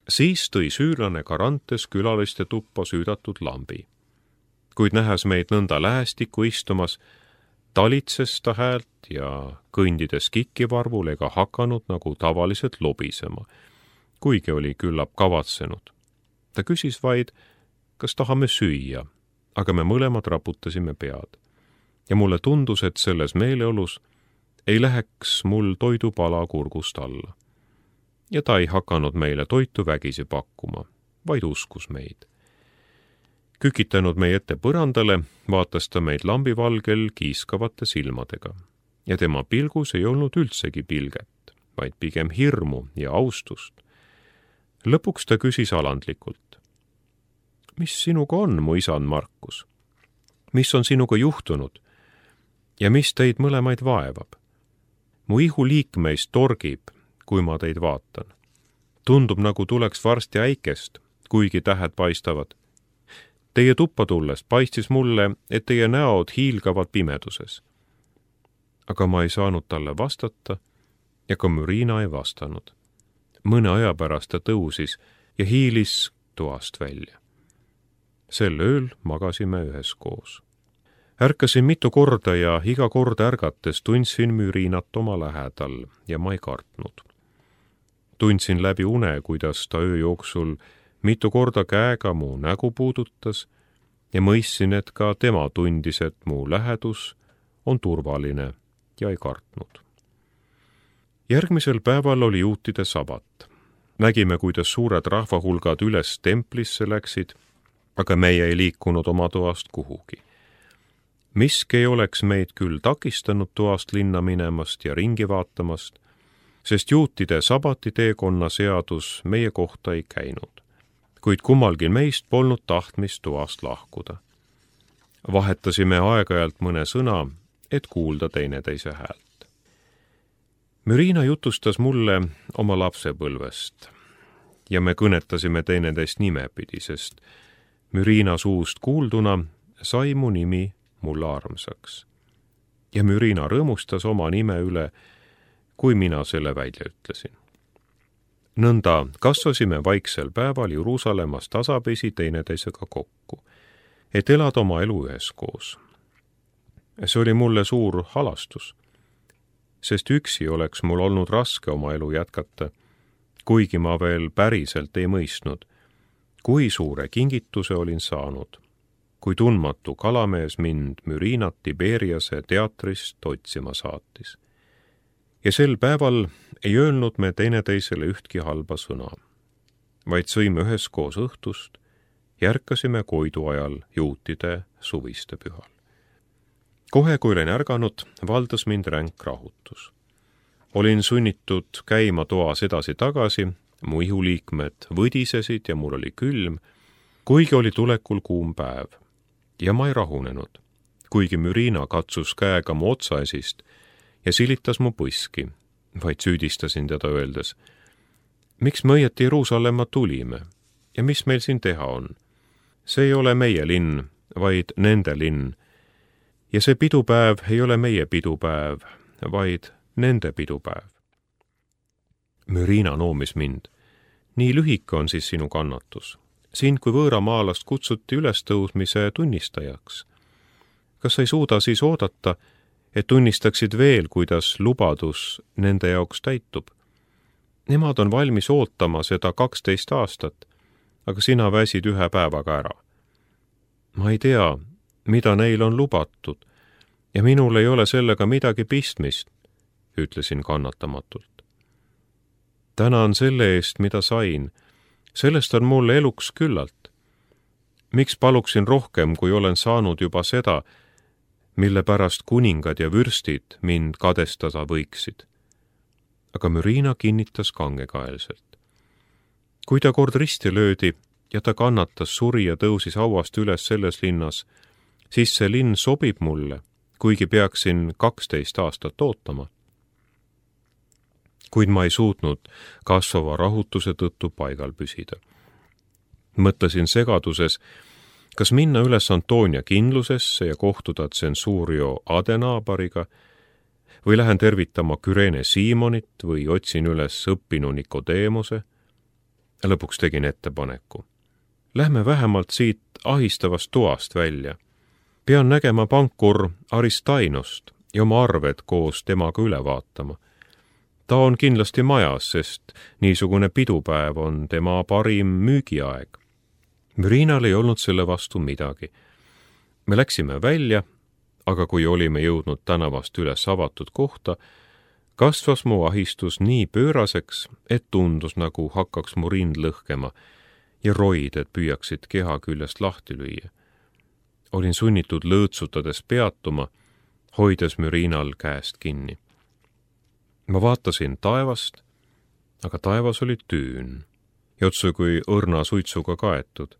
Siis tõi süürlane Garantes külaliste tuppa süüdatud lambi. Kuid nähes meid nõnda lähestikku istumas, talitses ta häält ja kõndides kikivarvul ega hakanud nagu tavaliselt lobisema, kuigi oli küllap kavatsenud. Ta küsis vaid, kas tahame süüa, aga me mõlemad raputasime pead. Ja mulle tundus, et selles meeleolus ei läheks mul toidupala kurgust alla. Ja ta ei hakanud meile toitu vägisi pakkuma, vaid uskus meid. Kükitanud meie ette põrandale, vaatas ta meid lambivalgel kiiskavate silmadega. Ja tema pilgus ei olnud üldsegi pilget, vaid pigem hirmu ja austust. Lõpuks ta küsis alandlikult. Mis sinuga on, mu isand Markus? Mis on sinuga juhtunud? Ja mis teid mõlemaid vaevab? Mu ihu liikmeist torgib, kui ma teid vaatan. Tundub, nagu tuleks varsti äikest, kuigi tähed paistavad. Teie tuppa tulles paistis mulle, et teie näod hiilgavad pimeduses. Aga ma ei saanud talle vastata ja ka Mürina ei vastanud. Mõne aja pärast ta tõusis ja hiilis toast välja. Sel ööl magasime üheskoos. Ärkasin mitu korda ja iga kord ärgates tundsin Mürinat oma lähedal ja ma ei kartnud. Tundsin läbi une, kuidas ta öö jooksul mitu korda käega mu nägu puudutas ja mõistsin, et ka tema tundis, et mu lähedus on turvaline ja ei kartnud. Järgmisel päeval oli juutide sabat. Nägime, kuidas suured rahvahulgad üles templisse läksid, aga meie ei liikunud oma toast kuhugi. Miski ei oleks meid küll takistanud toast linna minemast ja ringi vaatamast, sest juutide sabati teekonna seadus meie kohta ei käinud, kuid kummalgi meist polnud tahtmist toast lahkuda. Vahetasime aeg-ajalt mõne sõna, et kuulda teineteise häält. Mürina jutustas mulle oma lapsepõlvest ja me kõnetasime teineteist nimepidi, sest Mürina suust kuulduna sai mu nimi mulle armsaks. Ja Mürina rõõmustas oma nime üle, kui mina selle välja ütlesin. Nõnda kasvasime vaiksel päeval Jeruusalemmas tasapisi teineteisega kokku, et elada oma elu üheskoos. See oli mulle suur halastus, sest üksi oleks mul olnud raske oma elu jätkata, kuigi ma veel päriselt ei mõistnud, kui suure kingituse olin saanud, kui tundmatu kalamees mind Mürinat Tiberiase teatrist otsima saatis. Ja sel päeval ei öelnud me teineteisele ühtki halba sõna, vaid sõime üheskoos õhtust ja ärkasime koidu ajal juutide suviste pühal. Kohe, kui olin ärganud, valdas mind ränk rahutus. Olin sunnitud käima toas edasi-tagasi, mu ihuliikmed võdisesid ja mul oli külm, kuigi oli tulekul kuum päev. Ja ma ei rahunenud, kuigi Mürina katsus käega mu otsaesist ja silitas mu põski, vaid süüdistasin teda öeldes, miks me õieti Jeruusalemma tulime ja mis meil siin teha on? See ei ole meie linn, vaid nende linn. Ja see pidupäev ei ole meie pidupäev, vaid nende pidupäev. Mürina noomis mind. Nii lühike on siis sinu kannatus. Sind kui võõramaalast kutsuti ülestõusmise tunnistajaks. Kas sa ei suuda siis oodata, et tunnistaksid veel, kuidas lubadus nende jaoks täitub? Nemad on valmis ootama seda 12 aastat, aga sina väsid ühe päevaga ära. Ma ei tea, mida neil on lubatud, ja minul ei ole sellega midagi pistmist, ütlesin kannatamatult. Tänan selle eest, mida sain. Sellest on mulle eluks küllalt. Miks paluksin rohkem, kui olen saanud juba seda, mille pärast kuningad ja vürstid mind kadestada võiksid? Aga Mürina kinnitas kangekaelselt. Kui ta kord risti löödi ja ta kannatas, suri ja tõusis hauast üles selles linnas, siis see linn sobib mulle, kuigi peaksin 12 aastat ootama. Kuid ma ei suutnud kasvava rahutuse tõttu paigal püsida. Mõtlesin segaduses, kas minna üles Antonia kindlusesse ja kohtuda tsensuurio Adenaabariga või lähen tervitama Kürene Siimonit või otsin üles õppinu Nikodeemuse. Lõpuks tegin ettepaneku. Lähme vähemalt siit ahistavast toast välja. Pean nägema pankur Aristainost ja oma arved koos temaga üle vaatama. Ta on kindlasti majas, sest niisugune pidupäev on tema parim müügiaeg. Mürinal ei olnud selle vastu midagi. Me läksime välja, aga kui olime jõudnud tänavast üles avatud kohta, kasvas mu ahistus nii pööraseks, et tundus, nagu hakkaks mu rind lõhkema ja roided püüaksid keha küljest lahti lüüa. Olin sunnitud lõõtsutades peatuma, hoides Mürinal käest kinni. Ma vaatasin taevast, aga taevas oli tüün ja otse kui õrna suitsuga kaetud,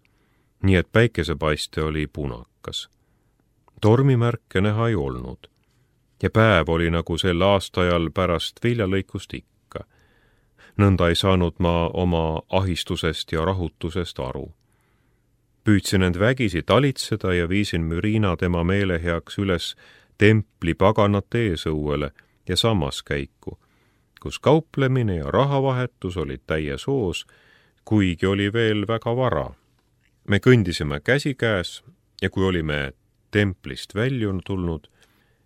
nii et päikesepaiste oli punakas. Tormimärke näha ei olnud ja päev oli nagu sel aastaajal pärast viljalõikust ikka. Nõnda ei saanud ma oma ahistusest ja rahutusest aru. Püüdsin end vägisi talitseda ja viisin Mürina tema meele heaks üles templi paganate eesõuele ja sammaskäiku, kus kauplemine ja rahavahetus olid täies hoos, kuigi oli veel väga vara. Me kõndisime käsikäes ja kui olime templist väljun tulnud,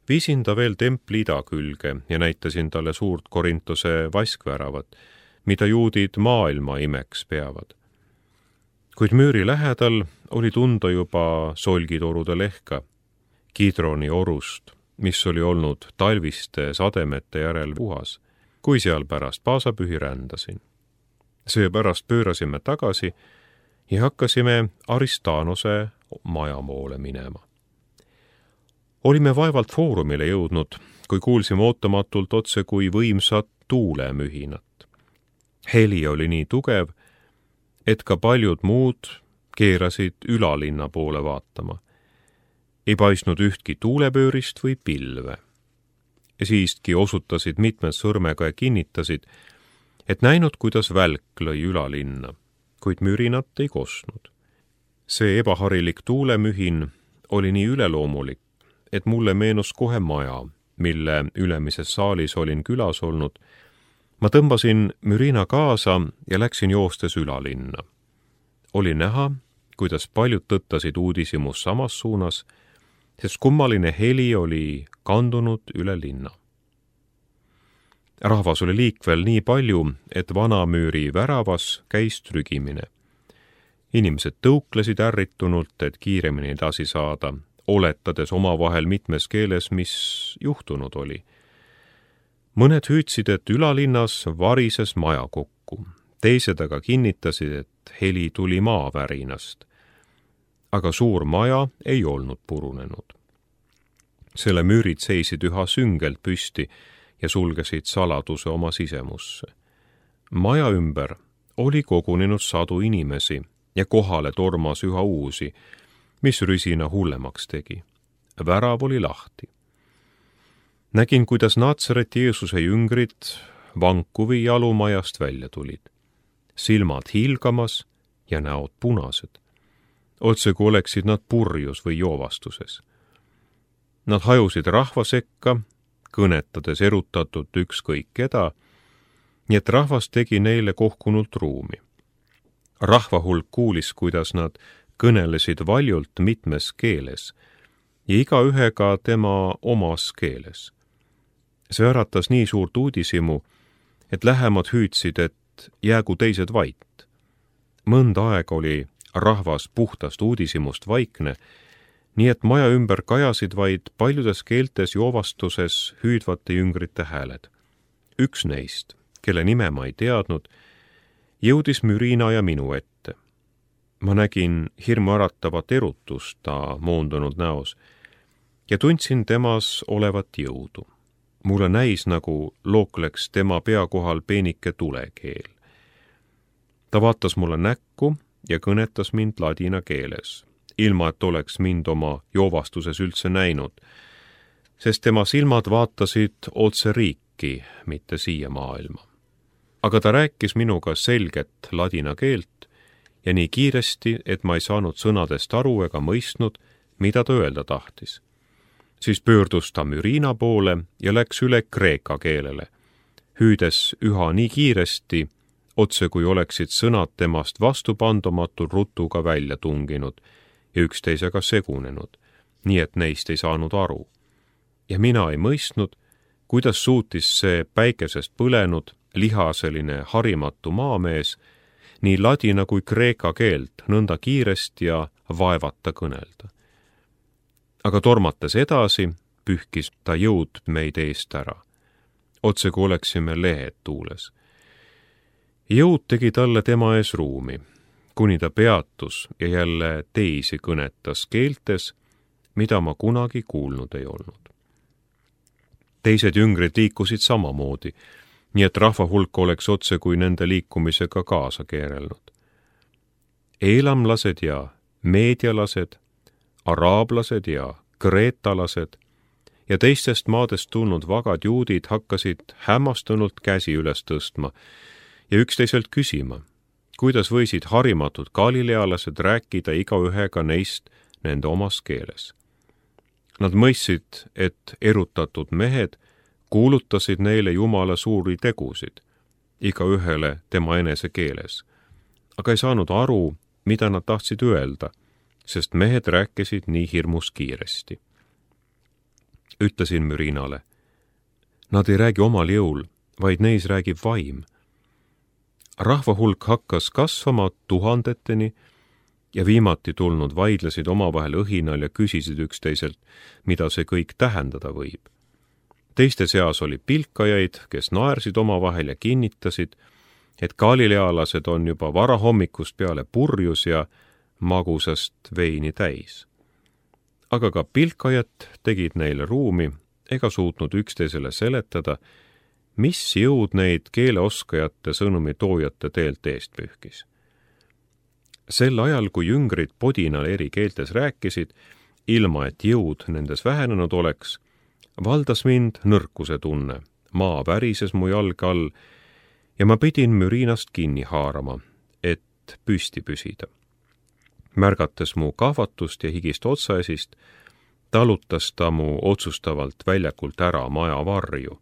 viisin ta veel templi ida külge ja näitasin talle suurt Korintose vaskväravat, mida juudid maailma imeks peavad. Kuid müüri lähedal oli tunda juba solgitorude lehka, Kidroni orust, mis oli olnud talviste sademete järel puhas, kui seal pärast paasapühi rändasin. Seepärast pöörasime tagasi ja hakkasime Aristanose maja poole minema. Olime vaevalt foorumile jõudnud, kui kuulsime ootamatult otse kui võimsat tuulemühinat. Heli oli nii tugev, et ka paljud muud keerasid ülalinna poole vaatama. Ei paistnud ühtki tuulepöörist või pilve. Ja siiski osutasid mitmed sõrmega ja kinnitasid, et näinud, kuidas välk lõi ülalinna, kuid mürinat ei kostnud. See ebaharilik tuulemühin oli nii üleloomulik, et mulle meenus kohe maja, mille ülemises saalis olin külas olnud. Ma tõmbasin Mürina kaasa ja läksin joostes ülalinna. Oli näha, kuidas paljud tõttasid uudishimus samas suunas, sest kummaline heli oli kandunud üle linna. Rahvas oli liikvel nii palju, et vanamüüri väravas käis trügimine. Inimesed tõuklesid ärritunult, et kiiremini edasi saada, oletades omavahel mitmes keeles, mis juhtunud oli. Mõned hüüdsid, et ülalinnas varises maja kokku. Teised aga kinnitasid, et heli tuli maavärinast. Aga suur maja ei olnud purunenud. Selle müürid seisid üha süngelt püsti ja sulgesid saladuse oma sisemusse. Maja ümber oli kogunenud sadu inimesi ja kohale tormas üha uusi, mis rüsina hullemaks tegi. Värav oli lahti. Nägin, kuidas Natsareti Jeesuse jüngrid vankuvi jalumajast välja tulid. Silmad hiilgamas ja näod punased. Otse kui oleksid nad purjus või joovastuses. Nad hajusid rahva sekka, kõnetades erutatult ükskõik keda, nii et rahvas tegi neile kohkunult ruumi. Rahva hulk kuulis, kuidas nad kõnelesid valjult mitmes keeles ja igaühega tema omas keeles. See äratas nii suurt uudishimu, et lähemad hüüdsid, et jäägu teised vait. Mõnda aega oli rahvas puhtast uudishimust vaikne, nii et maja ümber kajasid vaid paljudes keeltes joovastuses hüüdvate jüngrite hääled. Üks neist, kelle nime ma ei teadnud, jõudis Mürina ja minu ette. Ma nägin hirmuäratavat erutust ta moondunud näos ja tundsin temas olevat jõudu. Mulle näis, nagu lookleks tema pea kohal peenike tulekeel. Ta vaatas mulle näkku ja kõnetas mind ladina keeles, ilma et oleks mind oma joovastuses üldse näinud, sest tema silmad vaatasid otse riiki, mitte siia maailma. Aga ta rääkis minuga selget ladina keelt ja nii kiiresti, et ma ei saanud sõnadest aru ega mõistnud, mida ta öelda tahtis. Siis pöördus ta Mürina poole ja läks üle kreeka keelele, hüüdes üha nii kiiresti, otse kui oleksid sõnad temast vastupandumatul rutuga välja tunginud ja üksteisega segunenud, nii et neist ei saanud aru. Ja mina ei mõistnud, kuidas suutis see päikesest põlenud, lihaseline, harimatu maamees nii ladina kui kreeka keelt nõnda kiiresti ja vaevata kõnelda. Aga tormates edasi, pühkis ta jõud meid eest ära, otse kui oleksime lehed tuules. Jõud tegi talle tema ees ruumi, kuni ta peatus ja jälle teisi kõnetas keeltes, mida ma kunagi kuulnud ei olnud. Teised jüngrid liikusid samamoodi, nii et rahva hulk oleks otse kui nende liikumisega kaasa keerelnud. Eelamlased ja meedialased, araablased ja kreetalased ja teistest maadest tulnud vagad juudid hakkasid hämmastunult käsi üles tõstma ja üksteiselt küsima, kuidas võisid harimatud galilealased rääkida igaühega neist nende omas keeles. Nad mõistsid, et erutatud mehed kuulutasid neile Jumala suuri tegusid, igaühele tema enese keeles, aga ei saanud aru, mida nad tahtsid öelda, sest mehed rääkisid nii hirmus kiiresti. Ütlesin Mürinale, nad ei räägi omal jõul, vaid neis räägib vaim. Rahva hulk hakkas kasvama tuhandeteni ja viimati tulnud vaidlesid omavahel õhinal ja küsisid üksteiselt, mida see kõik tähendada võib. Teiste seas oli pilkajaid, kes naersid omavahel ja kinnitasid, et galilealased on juba varahommikust peale purjus ja magusast veini täis. Aga ka pilkajad tegid neile ruumi ega suutnud üksteisele seletada, mis jõud neid keeleoskajate sõnumi toojate teelt eest pühkis. Sel ajal, kui jüngrid podinal eri keeltes rääkisid, ilma et jõud nendes vähenenud oleks, valdas mind nõrkuse tunne, maa värises mu jalge all ja ma pidin Mürinast kinni haarama, et püsti püsida. Märgates mu kahvatust ja higist otsaesist, talutas ta mu otsustavalt väljakult ära maja varju,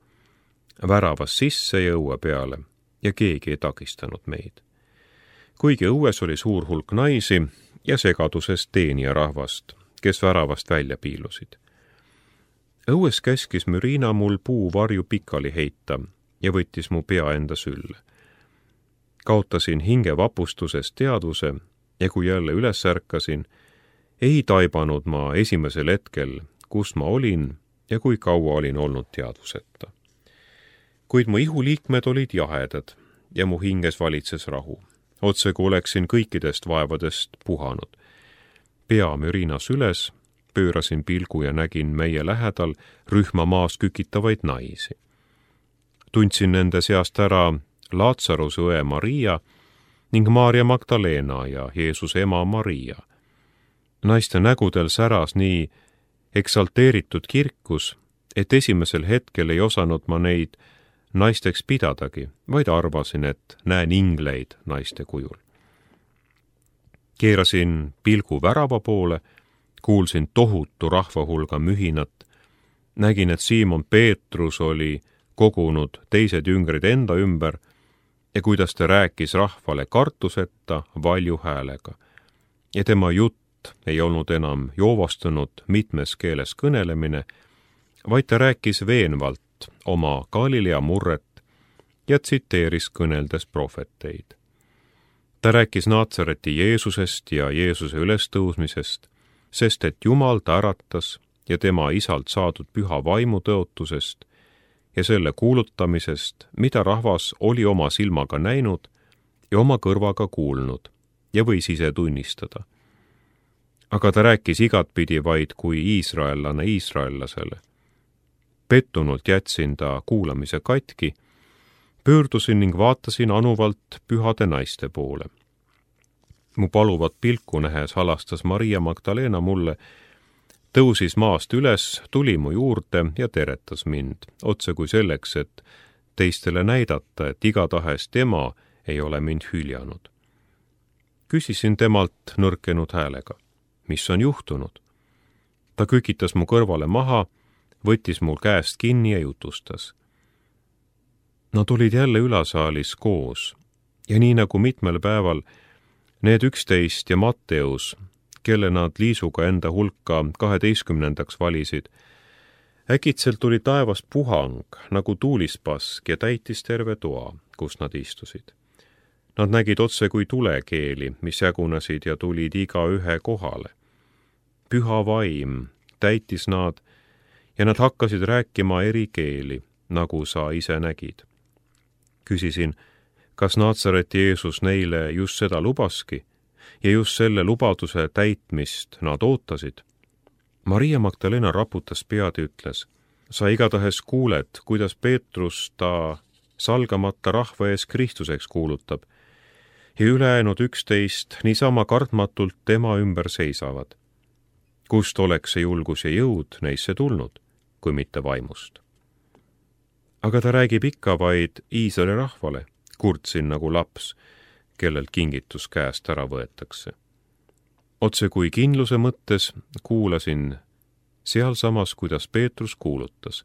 väravas sisse ja õue peale ja keegi ei takistanud meid. Kuigi õues oli suur hulk naisi ja segaduses teenija rahvast, kes väravast välja piilusid. Õues käskis Mürina mul puuvarju pikali heita ja võttis mu pea enda sülle. Kaotasin hinge vapustusest teadvuse ja kui jälle üles ärkasin, ei taibanud ma esimesel hetkel, kus ma olin ja kui kaua olin olnud teadvuseta. Kuid mu ihuliikmed olid jahedad ja mu hinges valitses rahu, otse kui oleksin kõikidest vaevadest puhanud. Pea Mürinas üles, pöörasin pilgu ja nägin meie lähedal rühma maas kükitavaid naisi. Tundsin nende seast ära Laatsaruse õe Maria ning Maarja Magdalena ja Jeesuse ema Maria. Naiste nägudel säras nii eksalteeritud kirkus, et esimesel hetkel ei osanud ma neid naisteks pidadagi, vaid arvasin, et näen ingleid naiste kujul. Keerasin pilgu värava poole, kuulsin tohutu rahvahulga mühinat, nägin, et Siimon Peetrus oli kogunud teised jüngrid enda ümber ja kuidas ta rääkis rahvale kartuseta valju häälega. Ja tema jutt ei olnud enam joovastunud mitmes keeles kõnelemine, vaid ta rääkis veenvalt oma Galilea murret ja tsiteeris kõneldes prohveteid. Ta rääkis Naatsareti Jeesusest ja Jeesuse ülestõusmisest, sest et Jumal ta äratas ja tema isalt saadud püha vaimu tõotusest ja selle kuulutamisest, mida rahvas oli oma silmaga näinud ja oma kõrvaga kuulnud ja võis ise tunnistada. Aga ta rääkis igatpidi vaid kui iisraellane iisraellasele. Pettunult jätsin ta kuulamise katki, pöördusin ning vaatasin anuvalt pühade naiste poole. Mu paluvat pilku nähes halastas Maria Magdalena mulle, tõusis maast üles, tuli mu juurde ja teretas mind, otse kui selleks, et teistele näidata, et igatahes tema ei ole mind hüljanud. Küsisin temalt nõrkenud häälega, mis on juhtunud. Ta kükitas mu kõrvale maha, võttis mul käest kinni ja jutustas. Nad olid jälle ülasaalis koos Ja nii nagu mitmel päeval need 11 ja Matteus, kelle nad liisuga enda hulka 12. valisid, äkitselt tuli taevast puhang nagu tuulispask ja täitis terve toa, kus nad istusid. Nad nägid otse kui tulekeeli, mis jagunesid ja tulid igaühe kohale. Püha vaim täitis nad ja nad hakkasid rääkima eri keeli, nagu sa ise nägid. Küsisin, kas Naatsareti Jeesus neile just seda lubaski ja just selle lubaduse täitmist nad ootasid? Maria Magdalena raputas pead ja ütles, sa igatahes kuuled, kuidas Peetrus ta salgamata rahva ees Kristuseks kuulutab ja ülejäänud 11 niisama kartmatult tema ümber seisavad. Kust oleks see julgus ja jõud neisse tulnud, kui mitte vaimust? Aga ta räägib ikka vaid Iisraeli rahvale, kurtsin nagu laps, kellelt kingitus käest ära võetakse. Otse kui kindluse mõttes kuulasin sealsamas, kuidas Peetrus kuulutas.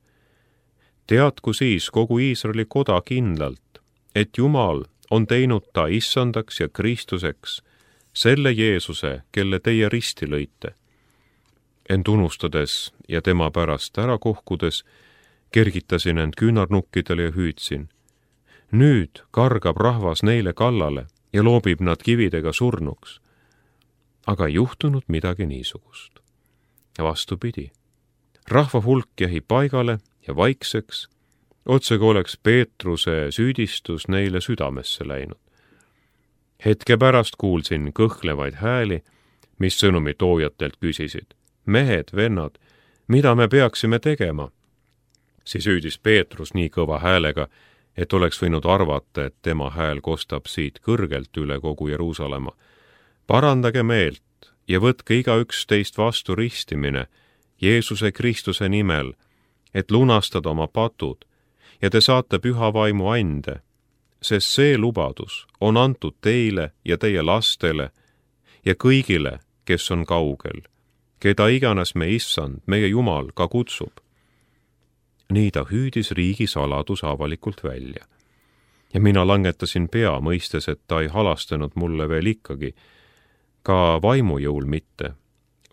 Teadku siis kogu Iisraeli koda kindlalt, et Jumal on teinud ta issandaks ja Kristuseks, selle Jeesuse, kelle teie risti lõite. End unustades ja tema pärast ära kohkudes, kergitasin end küünarnukkidele ja hüüdsin. Nüüd kargab rahvas neile kallale ja loobib nad kividega surnuks. Aga ei juhtunud midagi niisugust. Vastupidi, rahva hulk jäi paigale ja vaikseks, otse kui oleks Peetruse süüdistus neile südamesse läinud. Hetke pärast kuulsin kõhklevaid hääli, mis sõnumi toojatelt küsisid. Mehed, vennad, mida me peaksime tegema? Siis hüüdis Peetrus nii kõva häälega, et oleks võinud arvata, et tema hääl kostab siit kõrgelt üle kogu Jeruusalemma. Parandage meelt ja võtke igaüks teist vastu ristimine Jeesuse Kristuse nimel, et lunastada oma patud ja te saate püha vaimu ande, sest see lubadus on antud teile ja teie lastele ja kõigile, kes on kaugel, keda iganes me issand, meie Jumal, ka kutsub. Nii ta hüüdis riigi saladuse avalikult välja. Ja mina langetasin pea, mõistes, et ta ei halastanud mulle veel ikkagi, ka vaimujõul mitte,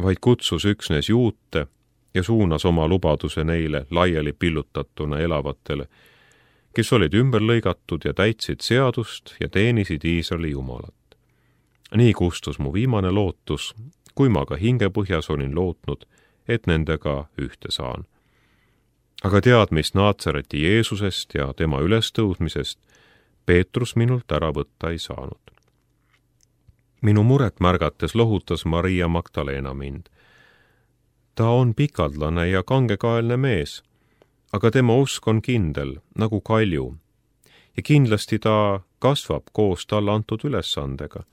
vaid kutsus üksnes juute ja suunas oma lubaduse neile laiali pillutatuna elavatele, kes olid ümber lõigatud ja täitsid seadust ja teenisid Iisraeli Jumalat. Nii kustus mu viimane lootus, kui ma ka hingepõhjas olin lootnud, et nendega ühte saan. Aga teadmist Naatsareti Jeesusest ja tema ülestõudmisest Peetrus minult ära võtta ei saanud. Minu muret märgates lohutas Maria Magdalena mind. Ta on pikaldlane ja kangekaelne mees, aga tema usk on kindel, nagu kalju, ja kindlasti ta kasvab koos talle antud ülesandega.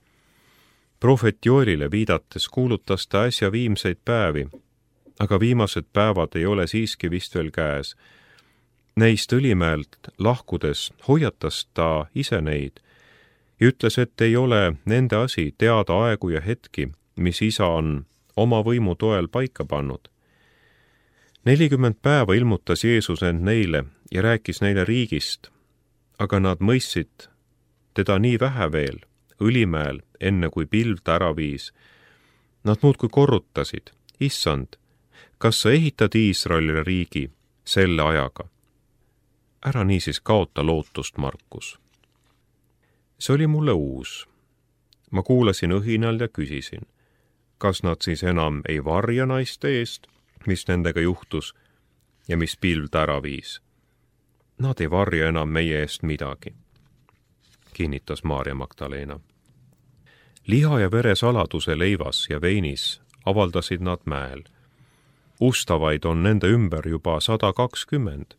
Prohvet Joelile viidates kuulutas ta äsja viimseid päevi, aga viimased päevad ei ole siiski vist veel käes. Neist Õlimäelt lahkudes hoiatas ta ise neid ja ütles, et ei ole nende asi teada aegu ja hetki, mis isa on oma võimu toel paika pannud. 40 päeva ilmutas Jeesus end neile ja rääkis neile riigist, aga nad mõistsid teda nii vähe veel Õlimäel, enne kui pilv ta ära viis. Nad muudkui korrutasid, issand, kas sa ehitad Iisraelile riigi selle ajaga? Ära niisiis kaota lootust, Markus. See oli mulle uus. Ma kuulasin õhinal ja küsisin, kas nad siis enam ei varja naiste eest, mis nendega juhtus ja mis pilv ta ära viis. Nad ei varja enam meie eest midagi, kinnitas Maarja Magdalena. Liha ja vere saladuse leivas ja veinis avaldasid nad mäel. Ustavaid on nende ümber juba 120.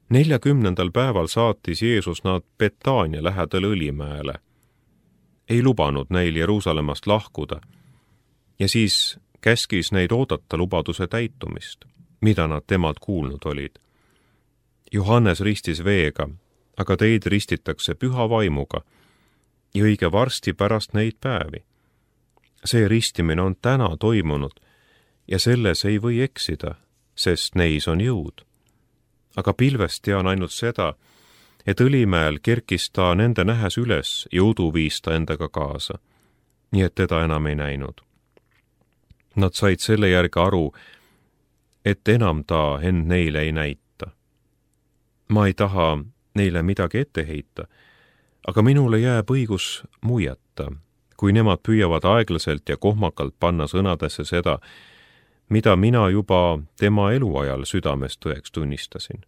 40. päeval saatis Jeesus nad Betaania lähedal Õlimäele. Ei lubanud neil Jeruusalemmast lahkuda ja siis käskis neid oodata lubaduse täitumist, mida nad temalt kuulnud olid. Johannes ristis veega, aga teid ristitakse püha vaimuga ja õige varsti pärast neid päevi. See ristimine on täna toimunud ja selles ei või eksida, sest neis on jõud. Aga pilvest tean ainult seda, et Õlimäel kerkis ta nende nähes üles ja udu viis ta endaga kaasa, nii et teda enam ei näinud. Nad said selle järgi aru, et enam ta end neile ei näita. Ma ei taha neile midagi ette heita, aga minule jääb õigus muiata, kui nemad püüavad aeglaselt ja kohmakalt panna sõnadesse seda, mida mina juba tema eluajal südames tõeks tunnistasin.